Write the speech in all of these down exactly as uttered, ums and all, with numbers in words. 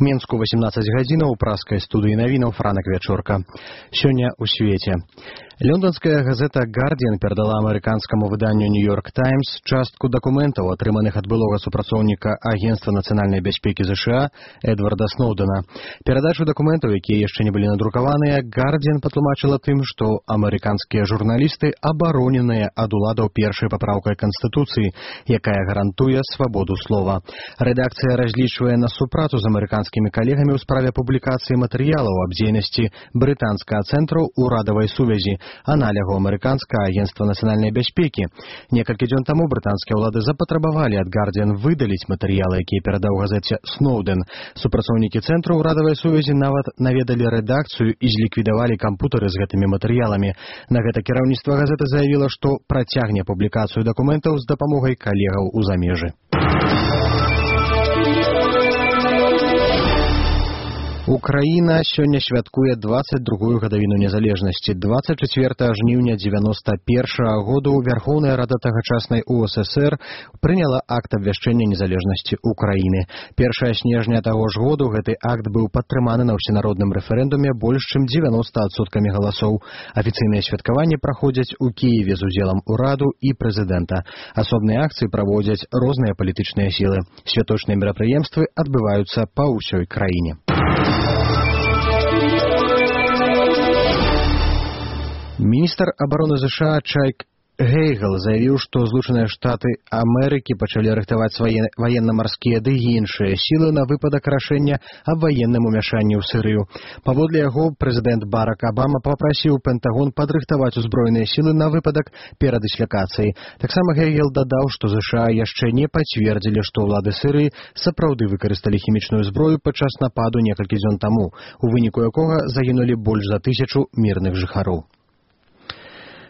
Мінску восемнадцать гадзінаў, праскай студыі навінаў Франак Вячорка. Сёння ў свеце. Лондонская газета «Гардиан» перадала амерыканскаму выданню «Нью-Йорк Таймс» частку дакументаў, атрыманых ад былога супрацоўніка Агенства нацыянальнай бяспекі ЗША Эдварда Сноудена. Перадачу дакументаў, якія яшчэ не былі надрукаваныя, «Гардиан» патлумачыла тым, што амерыканскія журналісты абароненыя ад уладаў першай папраўкай Канстытуцыі, якая гарантуе свабоду слова. Рэдакцыя разлічвае на супрацу з амерыканскімі калегамі ў справе публікацыі матэрыялаў аб дзейнасці брытанскага цэнтру ўрадавай сувязі, аналягу амерыканскага агенства нацыянальнай бяспекі. Некалькі дзён таму брытанскія ўлады запатрабавалі ад «Гардиан» выдаліць матэрыялы, якія перадаў газеце Сноуден. Супрацоўнікі цэнтру ўрадавай сувязі нават наведалі рэдакцыю і зліквідавалі кампутары з гэтымі матэрыяламі. На гэта кіраўніцтва газеты заявіла, што працягне публікацыю дакументаў з дапамогай калегаў у замежы. Украіна сёння святкуе дваццаць другую гадавіну незалежнасці. дваццаць чацвёртага жніўня дзевяноста першага году Вярхоўная Рада тагачаснай УССР прыняла акт абвяшчэння незалежнасці Украіны. Першага снежня таго ж году гэты акт быў падтрыманы на ўсенародным рэферэндуме больш чым дзевяноста адсоткамі галасоў. Афіцыйныя святкаванні праходзяць у Кіеве з удзелам ураду і прэзідэнта. Асобныя акцыі праводзяць розныя палітычныя сілы. Святочныя мерапрыемствы адбываюцца па ўсёй краіне. Міністр абароны ЗША Чайк Гейгл заявіў, што Злучаныя Штаты Амерыкі пачалі рыхтаваць свае ваенна-марскія ды іншыя сілы на выпадак рашэння аб ваенным умяшанні ў Сірыю. Паводле яго, прэзідэнт Барак Абама папрасіў Пентагон падрыхтаваць узброеныя сілы на выпадак перадыслякацыі. Таксама Гейгл дадаў, што ЗША яшчэ не пацвердзілі, што ўлады Сірыі сапраўды выкарысталі хімічную зброю падчас нападу некалькі дзён таму, у выніку якога загінулі больш за тысячу мірных жыхароў.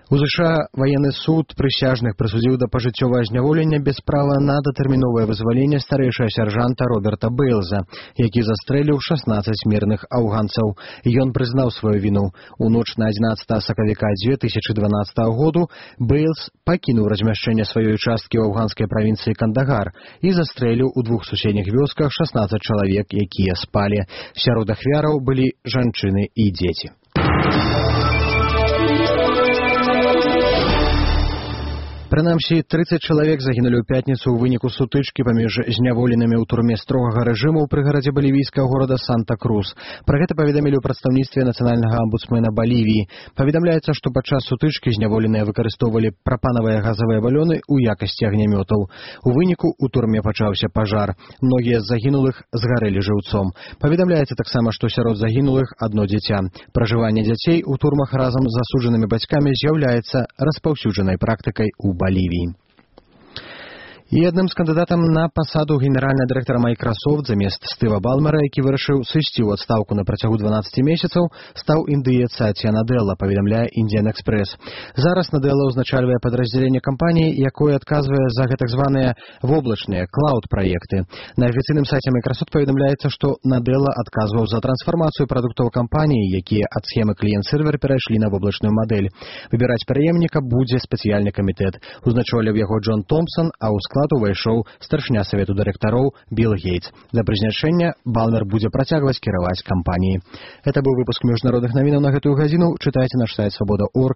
У ЗША военны суд прысяжных прысудзіў да пажыццёвага зняволення без права на датэрміновае вызваленне старэйшага сяржанта Роберта Бэйлза, які застрэліў шаснаццаць мірных афганцаў. Ён прызнаў сваю віну. У ноч на адзінаццатага сакавіка дзве тысячы дванаццатага году Бэйлз пакінуў размяшчэнне сваёй часткі ў афганскай правінцыі Кандагар і застрэліў у двух суседніх вёсках шаснаццаць чалавек, якія спалі. Сярод ахвяраў былі жанчыны і дзеці. Прынамсі, трыццаць чалавек загінулі ў пятніцу ў выніку сутычкі паміж зняволенымі ў турме строгага рэжыму ў прыгарадзе балівійскага горада Санта-Крус. Пра гэта паведамілі ў прадстаўніцтве нацыянальнага амбудсмена Балівіі. Паведамляецца, што падчас сутычкі зняволеныя выкарыстоўвалі прапанавыя газавыя балёны ў якасці агнямётаў. У выніку ў турме пачаўся пажар. Многія з загінулых згарэлі жыўцом. Паведамляецца таксама, што сярод загінулых адно дзіця. Пражыванне дзяцей у турмах разам з асуджанымі бацькамі з'яўляецца распаўсюджанай практыкай у Балівіі. І адным з кандыдатам на пасаду генеральнага дырэктара Microsoft замест Стыва Балмера, які вырашыў сысці ў адстаўку на працягу дванаццаці месяцаў, стаў індыец Сатья Наделла, паведамляе Indian Express. Зараз Наделла ўзначальвае падраздзяленне кампаніі, якое адказвае за гэтак званыя воблачныя клауд-праекты. На афіцыйным сайце Microsoft паведамляецца, што Наделла адказваў за трансфармацыю прадуктаў кампаніі, якія ад схемы кліент-сервер перайшлі на воблачную мадэль. Выбіраць пераемніка будзе спецыяльны камітэт. Узначаліў яго Джон Томпсон, а ў склад увайшоў старшыня савету дырэктароў Билл Гейтс. Для прызначэння Балмер будзе працягваць кіраваць кампаніяй. Гэта быў выпуск міжнародных навінаў на гэтую гадзіну. Чытайце наш сайт свабода точка орг.